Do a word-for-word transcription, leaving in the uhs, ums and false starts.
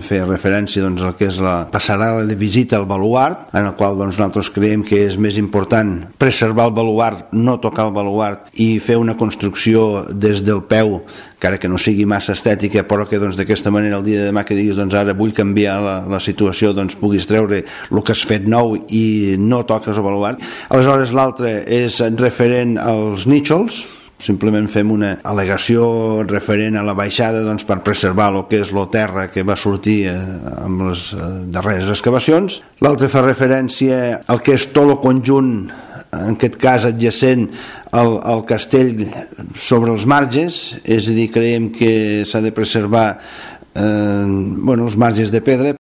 fer referència doncs, al que és la passarel·la de visita al baluart, en el qual doncs, nosaltres creiem que és més important preservar el baluart, no tocar el baluart i fer una construcció des del peu, encara que no sigui massa estètica, però que doncs, d'aquesta manera el dia de demà que diguis doncs, ara vull canviar la, la situació, doncs puguis treure el que has fet nou i no toques el baluart. Aleshores l'altre és referent als nítxols, simplement fem una al·legació referent a la baixada doncs, per preservar el que és la terra que va sortir eh, amb les eh, darreres excavacions. L'altre fa referència al que és tot el conjunt, en aquest cas adjacent al, al castell sobre els marges, és a dir, creiem que s'ha de preservar eh, bueno, els marges de pedra.